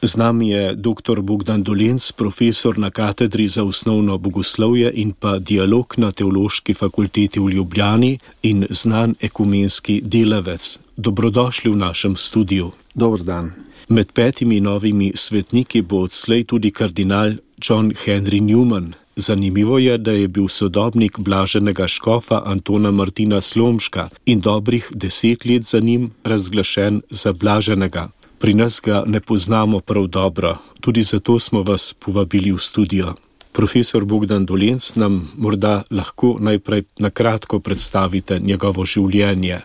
Z nami je dr. Bogdan Dolenc, profesor na katedri za osnovno bogoslovje in pa dialog na Teološki fakulteti v Ljubljani in znan ekumenski delavec. Dobrodošli v našem studiu. Dober dan. Med 5 novimi svetniki bo odslej tudi kardinal John Henry Newman. Zanimivo je, da je bil sodobnik blaženega škofa Antona Martina Slomška in dobrih 10 let za njim razglašen za blaženega. Pri nas ga ne poznamo prav dobro, tudi zato smo vas povabili v studio. Profesor Bogdan Dolenc, nam morda lahko najprej na kratko predstavite njegovo življenje.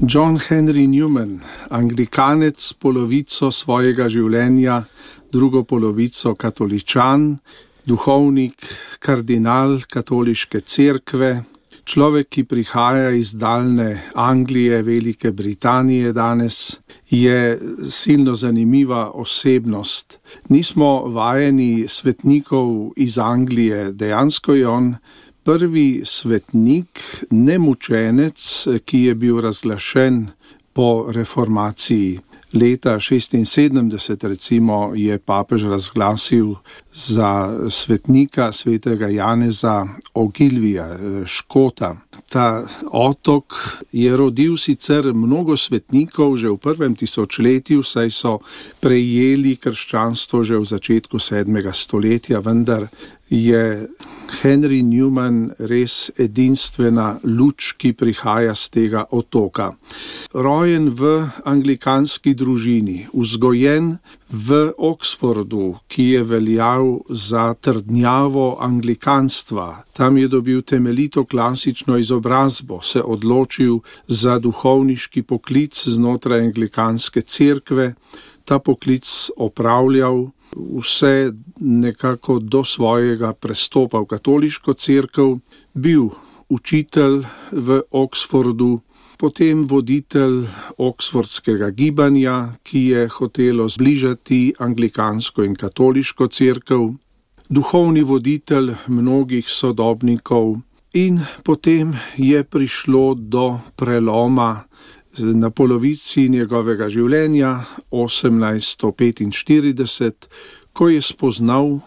John Henry Newman, anglikanec polovico svojega življenja, drugo polovico katoličan, duhovnik, kardinal katoliške cerkve, človek, ki prihaja iz daljne Anglije, Velike Britanije danes, je silno zanimiva osebnost. Nismo vajeni svetnikov iz Anglije, dejansko je on prvi svetnik, nemučenec, ki je bil razglašen po reformaciji. Leta 1976 recimo je papež razglasil za svetnika svetega Janeza Ogilvija, Škota. Ta otok je rodil sicer mnogo svetnikov že v prvem tisočletju, saj so prejeli krščanstvo že v začetku 7. stoletja, vendar je Henry Newman res edinstvena luč, ki prihaja z tega otoka. Rojen v anglikanski družini, vzgojen v Oxfordu, ki je veljal za trdnjavo anglikanstva. Tam je dobil temeljito klasično izobrazbo, se odločil za duhovniški poklic znotraj anglikanske cerkve, ta poklic opravljal vse nekako do svojega prestopa v katoliško cerkev, bil učitelj v Oxfordu, potem voditelj oxfordskega gibanja, ki je hotelo zbližati anglikansko in katoliško cerkev, duhovni voditelj mnogih sodobnikov in potem je prišlo do preloma na polovici njegovega življenja, 1845, ko je spoznal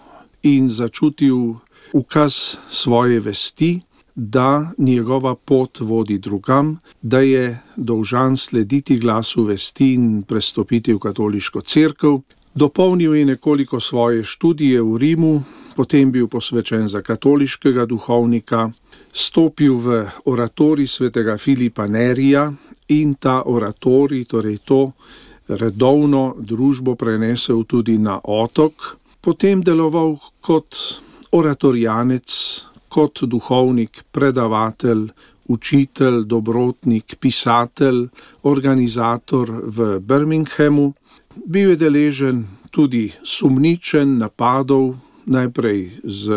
in začutil ukaz svoje vesti, da njegova pot vodi drugam, da je dolžan slediti glasu vesti in prestopiti v katoliško cerkev. Dopolnil je nekoliko svoje študije v Rimu, potem bil posvečen za katoliškega duhovnika, stopil v oratorij svetega Filipa Nerija in ta oratorij, torej to redovno družbo prenesel tudi na otok, potem deloval kot oratorijanec, kot duhovnik, predavatelj, učitelj, dobrotnik, pisatelj, organizator v Birminghamu. Bil je deležen tudi sumničenj, napadov, najprej z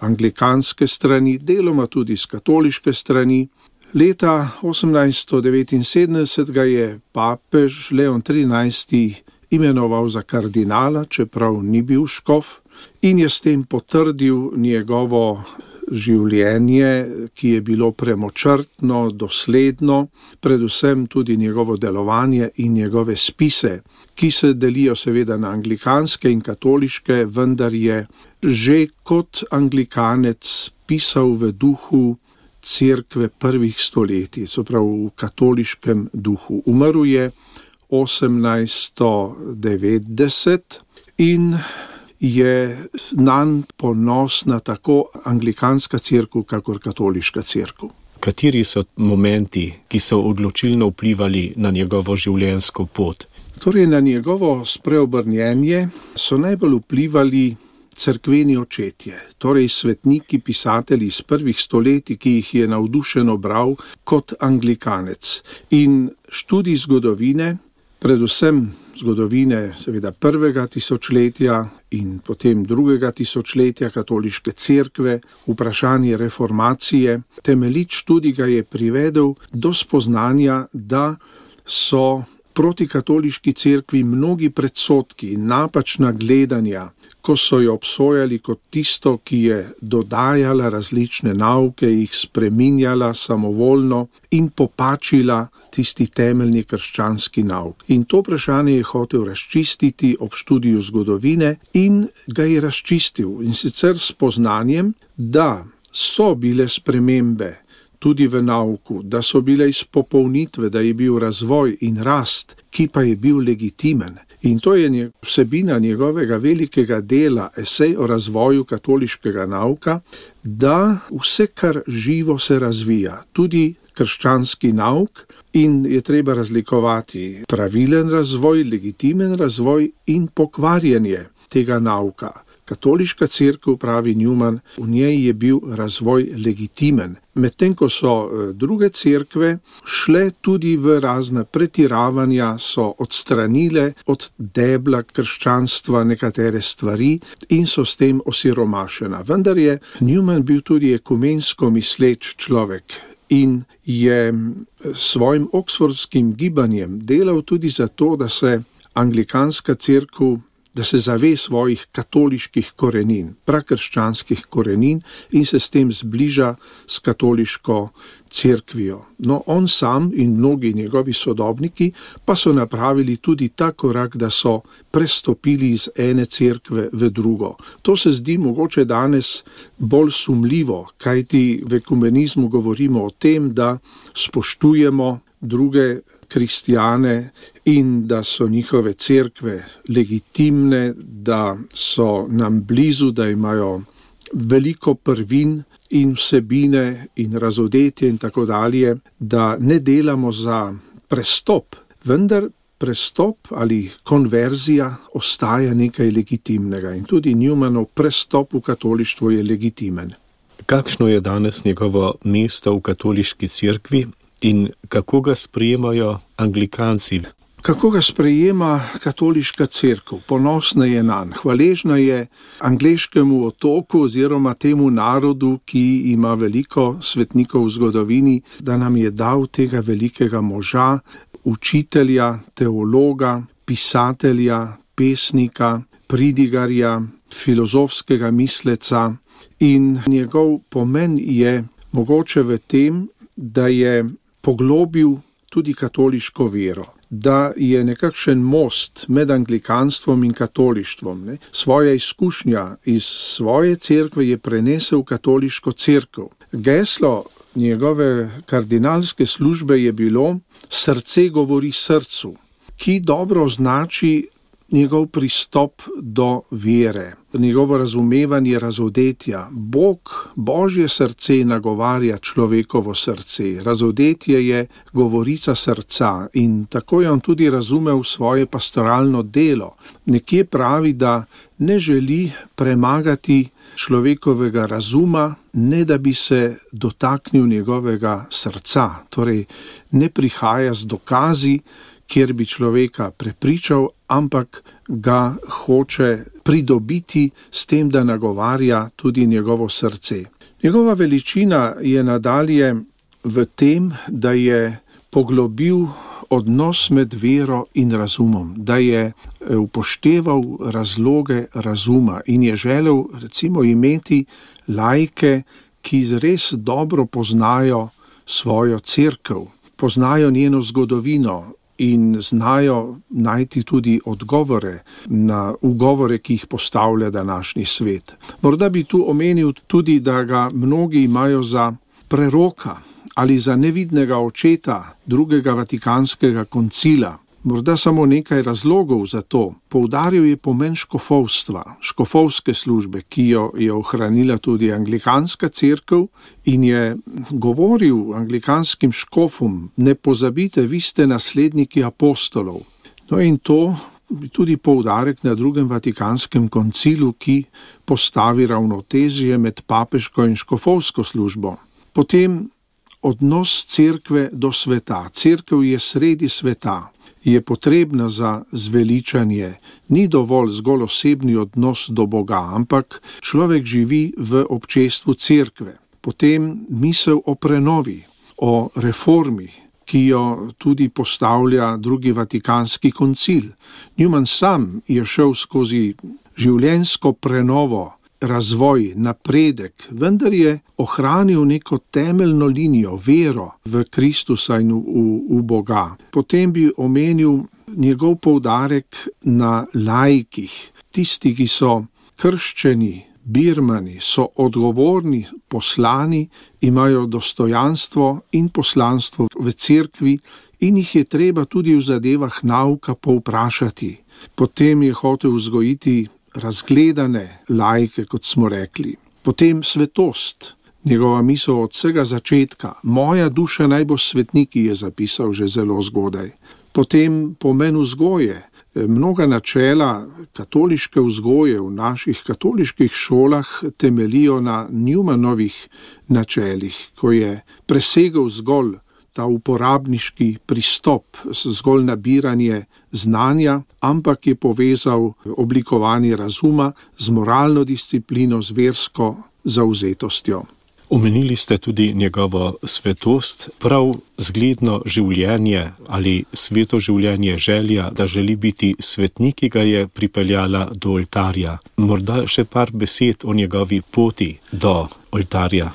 anglikanske strani, deloma tudi z katoliške strani. Leta 1879 ga je papež Leon XIII imenoval za kardinala, čeprav ni bil škof, in je s tem potrdil njegovo življenje, ki je bilo premočrtno, dosledno, predvsem tudi njegovo delovanje in njegove spise, ki se delijo seveda na anglikanske in katoliške, vendar je že kot anglikanec pisal v duhu cerkve prvih stoletij, so prav v katoliškem duhu. Umrl je 1890 in je nanj ponosna tako anglikanska cerkev, kakor katoliška cerkev. Kateri so momenti, ki so odločilno vplivali na njegovo življenjsko pot? Torej, na njegovo spreobrnjenje so najbolj vplivali cerkveni očetje, torej svetniki, pisatelji iz prvih stoletij, ki jih je navdušeno bral kot anglikanec. In študij zgodovine, predvsem zgodovine seveda prvega tisočletja in potem drugega tisočletja katoliške cerkve, vprašanje reformacije, temeljit študij ga je privedel do spoznanja, da so proti katoliški cerkvi mnogi predsodki in napačna gledanja, ko so jo obsojali kot tisto, ki je dodajala različne nauke, jih spreminjala samovoljno in popačila tisti temeljni krščanski nauk. In to vprašanje je hotel razčistiti ob študiju zgodovine in ga je razčistil. In sicer s spoznanjem, da so bile spremembe tudi v nauku, da so bile izpopolnitve, da je bil razvoj in rast, ki pa je bil legitimen. In to je vsebina njegovega velikega dela, esej o razvoju katoliškega nauka, da vse, kar živo, se razvija, tudi krščanski nauk, in je treba razlikovati pravilen razvoj, legitimen razvoj in pokvarjenje tega nauka. Katoliška cerkev, pravi Newman, v njej je bil razvoj legitimen. Medtem ko so druge cerkve šle tudi v razna pretiravanja, so odstranile od debla krščanstva nekatere stvari in so s tem osiromašena. Vendar je Newman bil tudi ekumensko misleč človek in je svojim oksfordskim gibanjem delal tudi za to, da se anglikanska cerkev, da se zave svojih katoliških korenin, prakrščanskih korenin in se s tem zbliža s katoliško cerkvijo. No, on sam in mnogi njegovi sodobniki pa so napravili tudi ta korak, da so prestopili iz ene cerkve v drugo. To se zdi mogoče danes bolj sumljivo, kajti v ekumenizmu govorimo o tem, da spoštujemo druge kristjane in da so njihove cerkve legitimne, da so nam blizu, da imajo veliko prvin in vsebine in razodetje in tako dalje, da ne delamo za prestop, vendar prestop ali konverzija ostaja nekaj legitimnega in tudi Newmanov prestop v katolištvo je legitimen. Kakšno je danes njegovo mesto v katoliški cerkvi in kako ga sprejemajo Anglikanci? Kako ga sprejema katoliška cerkev? Ponosna je nanj, hvaležna je angleškemu otoku oziroma temu narodu, ki ima veliko svetnikov v zgodovini, da nam je dal tega velikega moža, učitelja, teologa, pisatelja, pesnika, pridigarja, filozofskega misleca, in njegov pomen je mogoče v tem, da je poglobil tudi katoliško vero, da je nekakšen most med anglikanstvom in katolištvom. Svoja izkušnja iz svoje cerkve je prenesel v katoliško cerkev. Geslo njegove kardinalske službe je bilo Srce govori srcu, ki dobro označi njegov pristop do vere, njegovo razumevanje razodetja. Božje srce nagovarja človekovo srce, razodetje je govorica srca in tako je on tudi razumel svoje pastoralno delo. Nekje pravi, da ne želi premagati človekovega razuma, ne da bi se dotaknil njegovega srca, torej ne prihaja z dokazi, kjer bi človeka prepričal, ampak ga hoče pridobiti s tem, da nagovarja tudi njegovo srce. Njegova veličina je nadalje v tem, da je poglobil odnos med vero in razumom, da je upošteval razloge razuma in je želel recimo imeti laike, ki res dobro poznajo svojo cerkev, poznajo njeno zgodovino in znajo najti tudi odgovore na ugovore, ki jih postavlja današnji svet. Morda bi tu omenil tudi, da ga mnogi imajo za preroka ali za nevidnega očeta drugega vatikanskega koncila. Morda samo nekaj razlogov za to. Poudaril je pomen škofovstva, škofovske službe, ki jo je ohranila tudi anglikanska cerkev in je govoril anglikanskim škofom: ne pozabite, vi ste nasledniki apostolov. No in to je tudi poudarek na drugem vatikanskem koncilu, ki postavi ravnotežje med papeško in škofovsko službo. Potem odnos cerkve do sveta. Cerkev je sredi sveta, je potrebna za zveličanje. Ni dovolj zgolj osebni odnos do Boga, ampak človek živi v občestvu cerkve. Potem misel o prenovi, o reformi, ki jo tudi postavlja drugi vatikanski koncil. Newman sam je šel skozi življenjsko prenovo, razvoj, napredek, vendar je ohranil neko temeljno linijo, vero v Kristusa in v Boga. Potem bi omenil njegov poudarek na laikih, tisti, ki so krščeni, birmani, so odgovorni, poslani, imajo dostojanstvo in poslanstvo v cerkvi in jih je treba tudi v zadevah nauka povprašati. Potem je hotel vzgojiti razgledane laike, kot smo rekli. Potem svetost, njegova misel od vsega začetka. Moja duša naj bo svetnik, je zapisal že zelo zgodaj. Potem pomen vzgoje. Mnoga načela katoliške vzgoje v naših katoliških šolah temeljijo na Newmanovih načelih, ko je presegel zgolj ta uporabniški pristop, zgolj nabiranje znanja, ampak je povezal oblikovanje razuma z moralno disciplino, z versko zavzetostjo. Omenili ste tudi njegovo svetost, prav zgledno življenje ali sveto življenje, želja, da želi biti svetnik, ki ga je pripeljala do oltarja. Morda še par besed o njegovi poti do oltarja.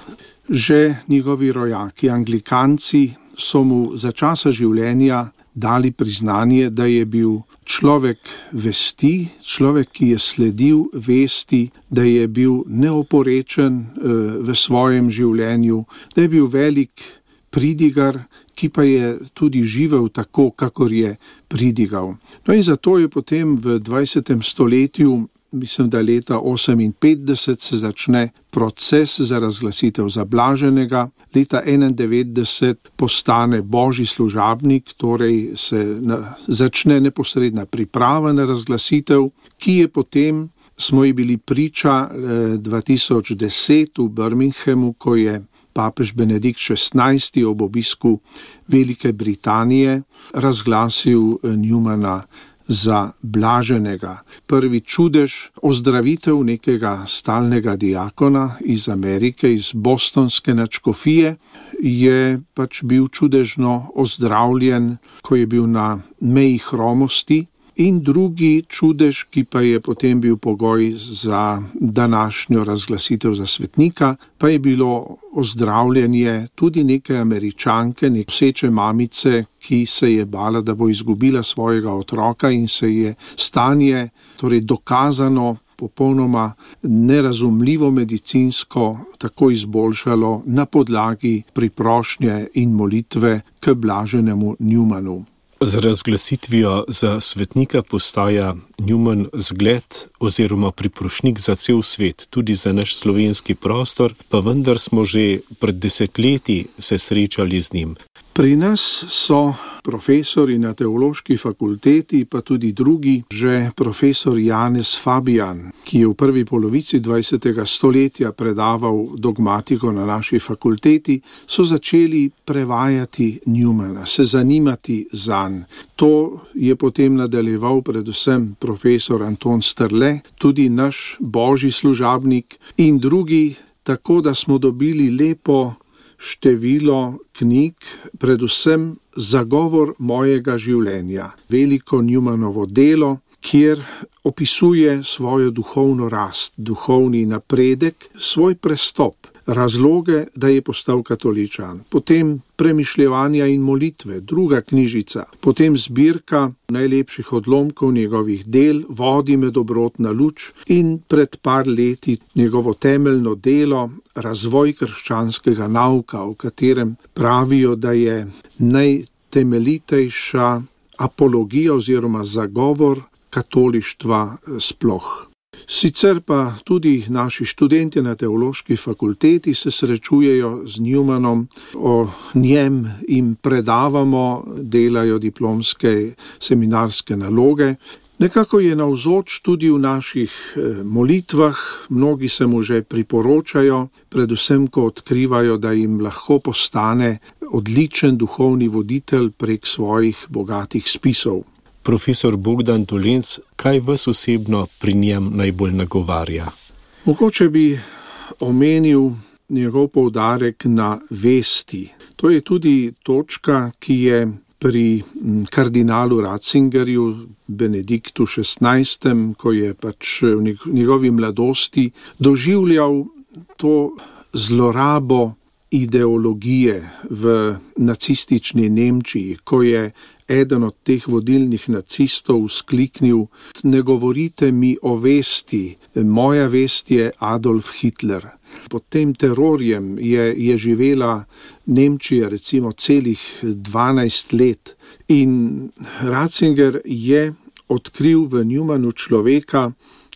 Že njegovi rojaki, anglikanci, so mu za časa življenja dali priznanje, da je bil človek vesti, človek, ki je sledil vesti, da je bil neoporečen v svojem življenju, da je bil velik pridigar, ki pa je tudi živel tako, kakor je pridigal. No in zato je potem v 20. stoletju, mislim, da leta 58 se začne proces za razglasitev za blaženega, leta 91 postane božji služabnik, torej se začne neposredna priprava na razglasitev, ki je potem, smo ji bili priča 2010 v Birminghamu, ko je papež Benedikt XVI ob obisku Velike Britanije razglasil Newmana za blaženega. Prvi čudež, ozdravitev nekega stalnega diakona iz Amerike, iz bostonske nadškofije, je pač bil čudežno ozdravljen, ko je bil na meji hromosti. In drugi čudež, ki pa je potem bil pogoj za današnjo razglasitev za svetnika, pa je bilo ozdravljenje tudi neke Američanke, noseče mamice, ki se je bala, da bo izgubila svojega otroka in se je stanje, torej dokazano, popolnoma nerazumljivo medicinsko tako izboljšalo na podlagi priprošnje in molitve k blaženemu Newmanu. Z razglasitvijo za svetnika postaja Newman zgled oziroma priprošnik za cel svet, tudi za naš slovenski prostor, pa vendar smo že pred desetletji se srečali z njim. Pri nas so profesori na teološki fakulteti, pa tudi drugi, že profesor Janez Fabijan, ki je v prvi polovici 20. stoletja predaval dogmatiko na naši fakulteti, so začeli prevajati Newmana, se zanimati zanj. To je potem nadaljeval predvsem profesor Anton Strle, tudi naš božji služabnik in drugi, tako da smo dobili lepo število knjig, predvsem Zagovor mojega življenja, veliko Newmanovo delo, kjer opisuje svojo duhovno rast, duhovni napredek, svoj prestop, razloge, da je postal katoličan, potem premišljevanja in molitve, druga knjižica, potem zbirka najlepših odlomkov njegovih del, Vodi me dobrotna luč in pred par leti njegovo temeljno delo, Razvoj krščanskega nauka, v katerem pravijo, da je najtemeljitejša apologija oziroma zagovor katolištva sploh. Sicer pa tudi naši študenti na teološki fakulteti se srečujejo z Newmanom, o njem jim predavamo, delajo diplomske seminarske naloge. Nekako je navzoč tudi v naših molitvah, mnogi se mu že priporočajo, predvsem ko odkrivajo, da jim lahko postane odličen duhovni voditelj prek svojih bogatih spisov. Profesor Bogdan Dolenc, kaj vas osebno pri njem najbolj nagovarja? Mogoče bi omenil njegov poudarek na vesti. To je tudi točka, ki je pri kardinalu Ratzingerju, Benediktu XVI., ko je pač v njegovi mladosti doživljal to zlorabo ideologije v nacistični Nemčiji, ko je eden od teh vodilnih nacistov skliknil: ne govorite mi o vesti, moja vest je Adolf Hitler. Pod tem terorjem je živela Nemčija recimo celih 12 let in Ratzinger je odkril v Newmanu človeka,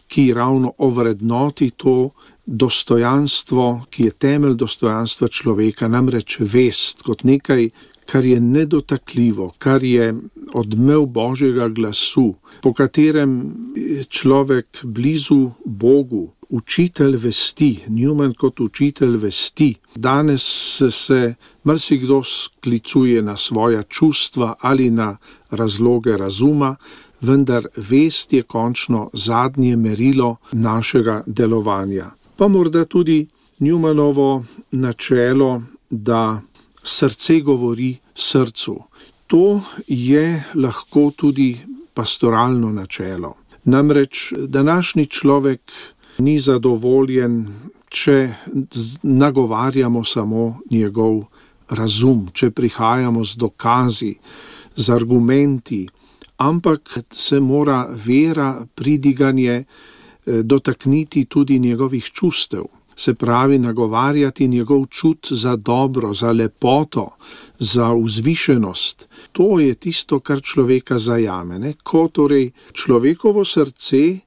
ki ravno ovrednoti to dostojanstvo, ki je temelj dostojanstva človeka, namreč vest kot nekaj, kar je nedotakljivo, kar je odmev Božjega glasu, po katerem je človek blizu Bogu, učitelj vesti, Newman kot učitelj vesti. Danes se marsikdo sklicuje na svoja čustva ali na razloge razuma, vendar vest je končno zadnje merilo našega delovanja. Pa morda tudi Newmanovo načelo, da srce govori srcu. To je lahko tudi pastoralno načelo. Namreč današnji človek ni zadovoljen, če nagovarjamo samo njegov razum, če prihajamo z dokazi, z argumenti, ampak se mora vera, pridiganje dotakniti tudi njegovih čustev. Se pravi, nagovarjati njegov čut za dobro, za lepoto, za vzvišenost. To je tisto, kar človeka zajame, ne? Ko torej človekovo srce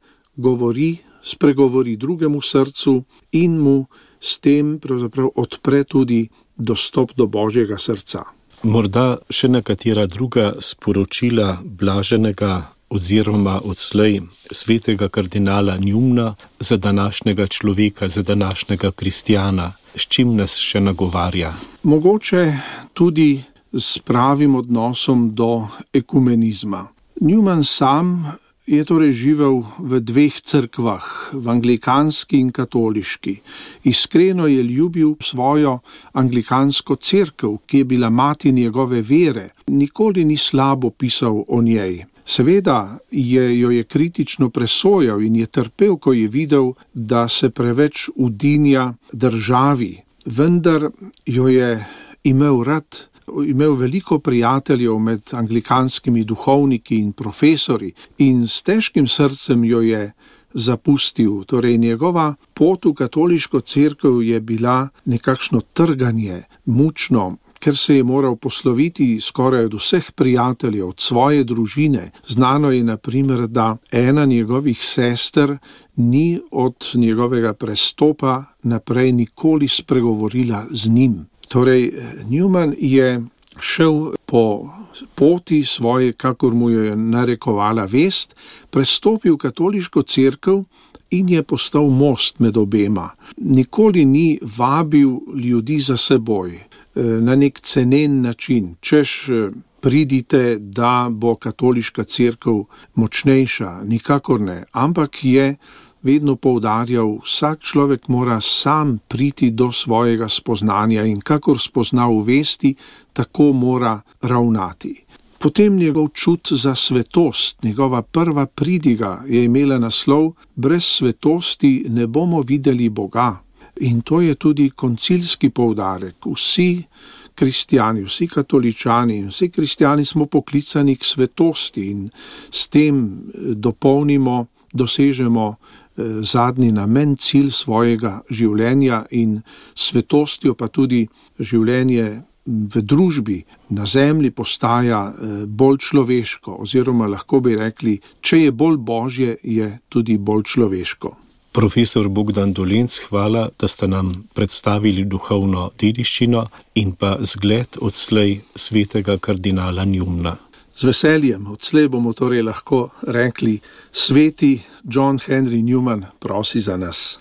spregovori drugemu srcu in mu s tem pravzaprav odpre tudi dostop do Božjega srca. Morda še nekatera druga sporočila blaženega oziroma odslej svetega kardinala Newmana za današnjega človeka, za današnjega kristjana, s čim nas še nagovarja? Mogoče tudi s pravim odnosom do ekumenizma. Newman sam je torej živel v dveh cerkvah, v anglikanski in katoliški. Iskreno je ljubil svojo anglikansko cerkev, ki je bila mati njegove vere. Nikoli ni slabo pisal o njej. Seveda jo je kritično presojal in je trpel, ko je videl, da se preveč udinja državi. Vendar jo je imel rad, imel veliko prijateljev med anglikanskimi duhovniki in profesori in s težkim srcem jo je zapustil. Torej njegova pot v katoliško cerkev je bila nekakšno trganje, mučno, ker se je moral posloviti skoraj od vseh prijateljev, od svoje družine. Znano je, na primer, da ena njegovih sester ni od njegovega prestopa naprej nikoli spregovorila z njim. Torej, Newman je šel po poti svoje, kakor mu je narekovala vest, prestopil katoliško cerkev in je postal most med obema. Nikoli ni vabil ljudi za seboj na nek cenen način, češ pridite, da bo katoliška cerkev močnejša, nikakor ne, ampak je vedno poudarjal, vsak človek mora sam priti do svojega spoznanja in kakor spozna v vesti, tako mora ravnati. Potem njegov čut za svetost, njegova prva pridiga je imela naslov: brez svetosti ne bomo videli Boga. In to je tudi koncilski poudarek. Vsi kristjani, vsi katoličani, vsi kristjani smo poklicani k svetosti in s tem dosežemo zadnji namen, cilj svojega življenja in svetostjo pa tudi življenje v družbi na zemlji postaja bolj človeško, oziroma lahko bi rekli, če je bolj božje, je tudi bolj človeško. Profesor Bogdan Dolenc, hvala, da ste nam predstavili duhovno dediščino in pa zgled odslej svetega kardinala Newmana. Z veseljem, odslej bomo torej lahko rekli: sveti John Henry Newman prosi za nas.